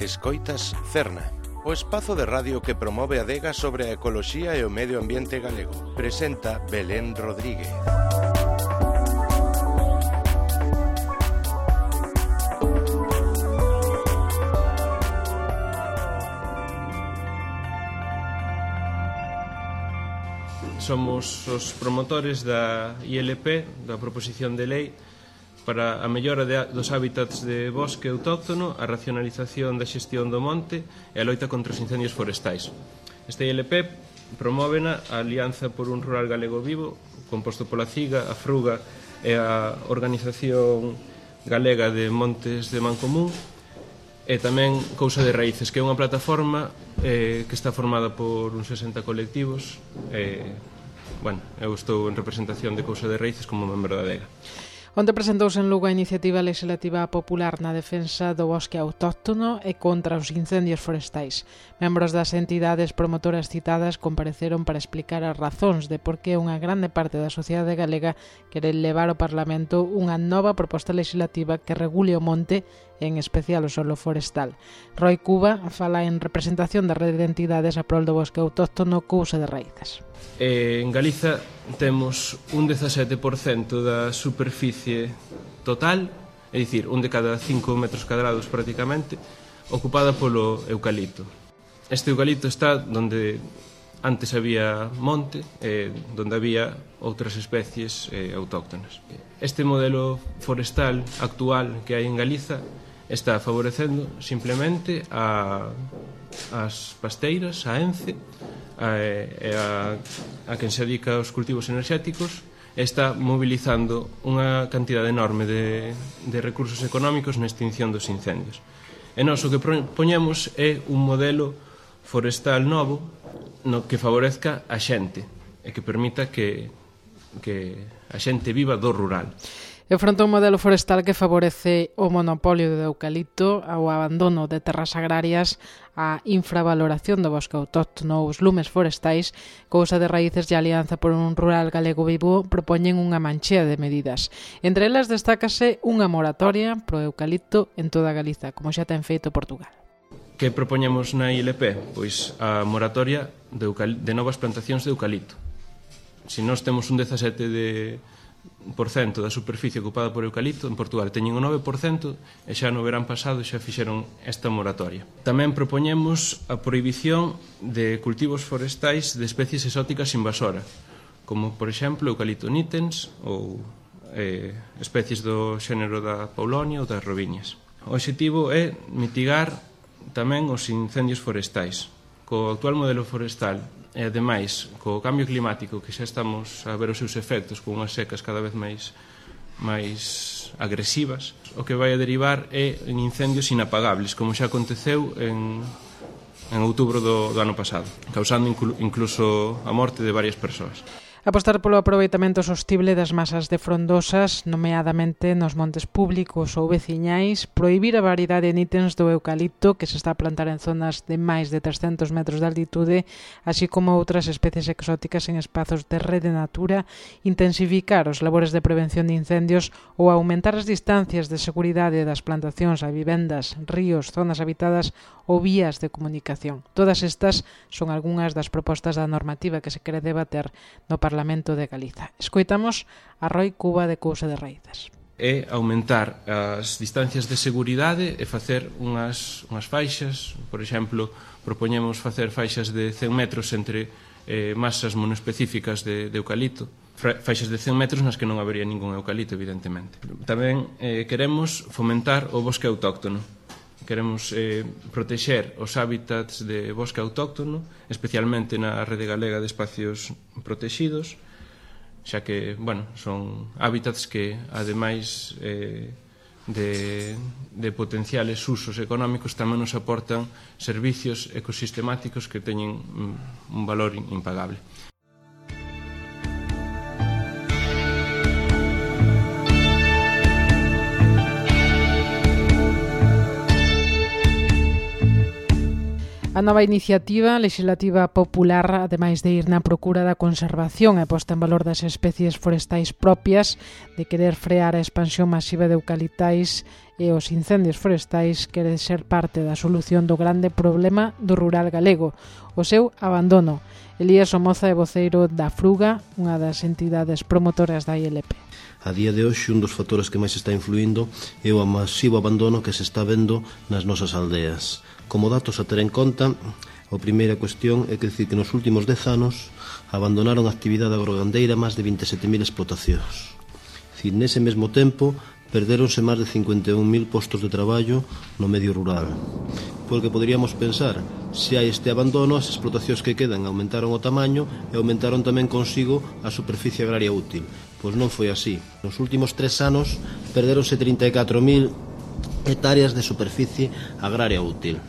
Escoitas Cerna, o espazo de radio que promove a adega sobre a ecoloxía e o medio ambiente galego. Presenta Belén Rodríguez. Somos os promotores da ILP, da proposición de lei para a mellora dos hábitats de bosque autóctono, a racionalización da xestión do monte e a loita contra os incendios forestais. Esta ILP promóvena a Alianza por un Rural Galego Vivo, composto pola CIGA, a FRUGA e a Organización Galega de Montes de Mancomún, e tamén Cousa de Raíces, que é unha plataforma que está formada por uns 60 colectivos. Eu estou en representación de Cousa de Raíces como membro da adega. Onde presentouse en Lugo a iniciativa legislativa popular na defensa do bosque autóctono e contra os incendios forestais. Membros das entidades promotoras citadas compareceron para explicar as razóns de por que unha grande parte da sociedade galega quere levar ao Parlamento unha nova proposta legislativa que regule o monte, en especial o solo forestal. Roi Cuba fala en representación da rede de entidades a prol do bosque autóctono Cousa de Raíces. En Galiza temos un 17% da superficie total, é dicir, un de cada 5 metros cadrados prácticamente, ocupada polo eucalipto. Este eucalipto está donde antes había monte, donde había outras especies autóctonas. Este modelo forestal actual que hai en Galiza está favorecendo simplemente as pasteiras, a ENCE, a quen se dedica aos cultivos enerxéticos, está mobilizando unha cantidade enorme de recursos económicos na extinción dos incendios. E nós o que propoñemos é un modelo forestal novo no que favorezca a xente e que permita que a xente viva do rural. E fronte a un modelo forestal que favorece o monopolio do eucalipto, ao abandono de terras agrarias, a infravaloración do bosque autóctono ou os lumes forestais, Cousa de Raíces e a Alianza por un Rural Galego Vivo propoñen unha manchea de medidas. Entre elas destácase unha moratoria pro eucalipto en toda Galiza, como xa ten feito Portugal. Que propoñemos na ILP? Pois a moratoria de novas plantacións de eucalipto. Se nós temos un 17% da superficie ocupada por eucalipto, en Portugal teñen o 9% e xa no verán pasado xa fixeron esta moratoria. Tamén propoñemos a prohibición de cultivos forestais de especies exóticas invasoras, como por exemplo eucalipto nitens ou especies do xénero da paulonia ou das robiñas. O obxectivo é mitigar tamén os incendios forestais. Co actual modelo forestal e, ademais, co cambio climático que xa estamos a ver os seus efectos con unhas secas cada vez máis agresivas, o que vai a derivar é en incendios inapagables, como xa aconteceu en outubro do ano pasado, causando incluso a morte de varias persoas. Apostar polo aproveitamento sostible das masas de frondosas, nomeadamente nos montes públicos ou veciñais, prohibir a variedade de nítens do eucalipto que se está a plantar en zonas de máis de 300 metros de altitude, así como outras especies exóticas en espazos de rede natura, intensificar os labores de prevención de incendios ou aumentar as distancias de seguridade das plantacións a vivendas, ríos, zonas habitadas ou vías de comunicación. Todas estas son algunhas das propostas da normativa que se quere debater no Parlamento de Galiza. Escoitamos a Roi Cuba de Cousa de Raíces. É aumentar as distancias de seguridade e facer unhas faixas. Por exemplo, propoñemos facer faixas de 100 metros entre masas monoespecíficas de eucalipto, faixas de 100 metros nas que non habería ningún eucalipto, evidentemente. Tamén queremos fomentar o bosque autóctono. Queremos protexer os hábitats de bosque autóctono, especialmente na rede galega de espacios protexidos, xa que, son hábitats que, ademais de potenciales usos económicos, tamén nos aportan servicios ecosistemáticos que teñen un valor impagable. A nova iniciativa legislativa popular, ademais de ir na procura da conservación e posta en valor das especies forestais propias, de querer frear a expansión masiva de eucaliptais e os incendios forestais, quere ser parte da solución do grande problema do rural galego, o seu abandono. Elías Somoza é voceiro da Fruga, unha das entidades promotoras da ILP. A día de hoxe, un dos factores que máis está influindo é o masivo abandono que se está vendo nas nosas aldeas. Como datos a ter en conta, a primeira cuestión é que nos últimos 10 anos abandonaron a actividade agrogandeira máis de 27.000 explotacións. Nese mesmo tempo, perderonse máis de 51.000 postos de traballo no medio rural. Porque poderíamos pensar, se hai este abandono, as explotacións que quedan aumentaron o tamaño e aumentaron tamén consigo a superficie agraria útil. Pois non foi así. Nos últimos 3 anos perderonse 34.000 hectáreas de superficie agraria útil.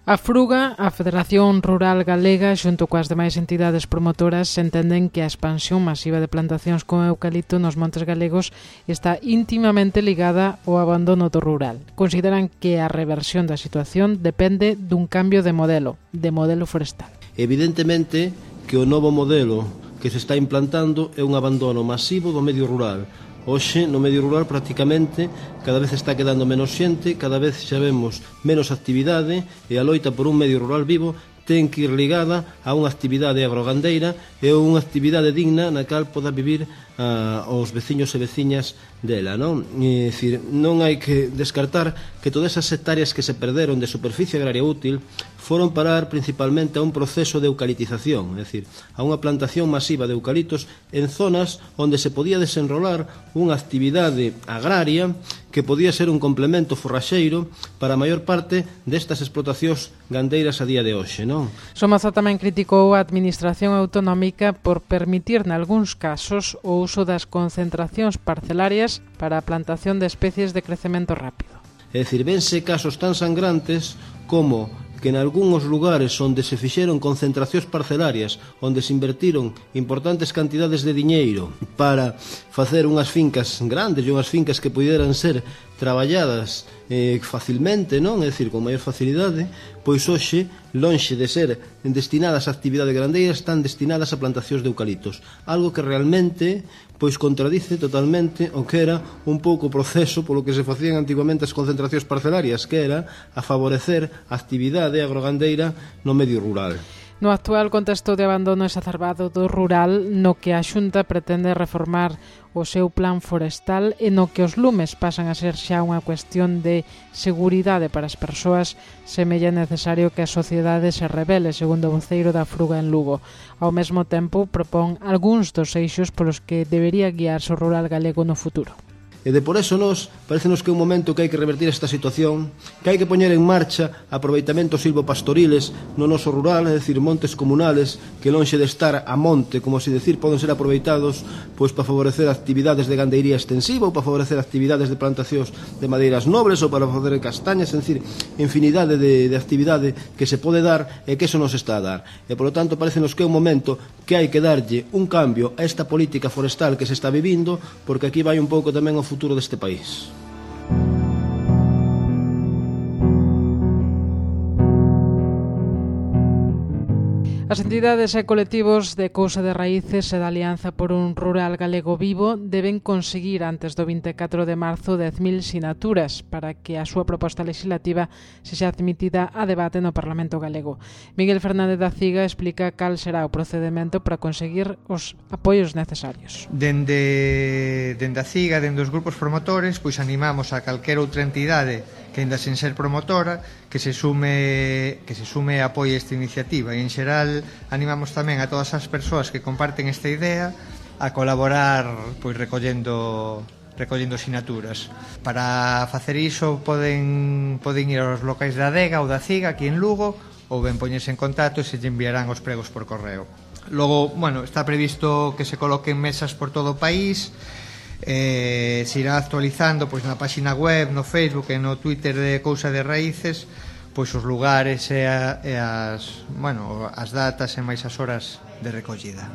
A Fruga, a Federación Rural Galega, xunto coas demais entidades promotoras, entenden que a expansión masiva de plantacións con eucalipto nos montes galegos está íntimamente ligada ao abandono do rural. Consideran que a reversión da situación depende dun cambio de modelo forestal. Evidentemente que o novo modelo que se está implantando é un abandono masivo do medio rural. Hoxe, no medio rural, prácticamente, cada vez está quedando menos xente, cada vez xa vemos menos actividade, e a loita por un medio rural vivo ten que ir ligada a unha actividade agrogandeira e unha actividade digna na cal poda vivir os veciños e veciñas dela, non? É dicir, non hai que descartar que todas esas hectáreas que se perderon de superficie agraria útil foron parar principalmente a un proceso de eucalitización, é dicir, a unha plantación masiva de eucaliptos en zonas onde se podía desenrolar unha actividade agraria que podía ser un complemento forraxeiro para a maior parte destas explotacións gandeiras a día de hoxe, non? Somoza tamén criticou a administración autonómica por permitir, nalgúns casos, o uso das concentracións parcelarias para a plantación de especies de crecemento rápido. É dicir, vense casos tan sangrantes como que en algúns lugares onde se fixeron concentracións parcelarias, onde se invertiron importantes cantidades de diñeiro para facer unhas fincas grandes e unhas fincas que puderan ser traballadas facilmente, non? É dicir, con maior facilidade, pois hoxe, lonxe de ser destinadas a actividade grandeira, están destinadas a plantacións de eucaliptos. Algo que realmente pois contradice totalmente o que era un pouco o proceso polo que se facían antigamente as concentracións parcelarias, que era a favorecer a actividade agrogandeira no medio rural. No actual contexto de abandono exacerbado do rural, no que a Xunta pretende reformar o seu plan forestal e no que os lumes pasan a ser xa unha cuestión de seguridade para as persoas, semella necesario que a sociedade se rebele, segundo o voceiro da Fruga en Lugo. Ao mesmo tempo, propón algúns dos eixos polos que debería guiarse o rural galego no futuro. E de por eso parecenos que é un momento que hai que revertir esta situación, que hai que poñer en marcha aproveitamentos silvopastoriles no noso rural, é dicir, montes comunales que lonxe de estar a monte, como se decir, poden ser aproveitados pois para favorecer actividades de gandeiría extensiva ou para favorecer actividades de plantacións de madeiras nobles ou para facer castañas, é dicir, infinidade de actividade que se pode dar e que eso nos está a dar. E polo tanto parecenos que é un momento que hai que darlle un cambio a esta política forestal que se está vivindo, porque aquí vai un pouco tamén o futuro deste país. As entidades e colectivos de Cousa de Raíces e da Alianza por un Rural Galego Vivo deben conseguir antes do 24 de marzo 10.000 sinaturas para que a súa proposta legislativa sexa admitida a debate no Parlamento Galego. Miguel Fernández da Ciga explica cal será o procedemento para conseguir os apoios necesarios. Dende a Ciga, dende os grupos promotores, pois animamos a calquera outra entidade que ainda sen ser promotora que se sume e apoie esta iniciativa, e en xeral animamos tamén a todas as persoas que comparten esta idea a colaborar pois recollendo sinaturas. Para facer iso poden ir aos locais da Adega ou da Ciga aquí en Lugo, ou ben poñerse en contacto e se lle enviarán os pregos por correo. Logo, está previsto que se coloquen mesas por todo o país. Se irá actualizando pois na páxina web, no Facebook e no Twitter de Cousa de Raíces pois os lugares e as datas e máis as horas de recollida.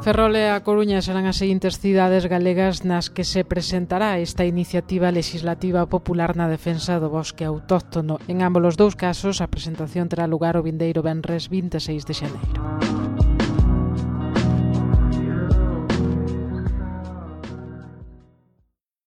Ferrol e A Coruña serán as seguintes cidades galegas nas que se presentará esta iniciativa legislativa popular na defensa do bosque autóctono. En ambos os dous casos, a presentación terá lugar o vindeiro venres 26 de xaneiro.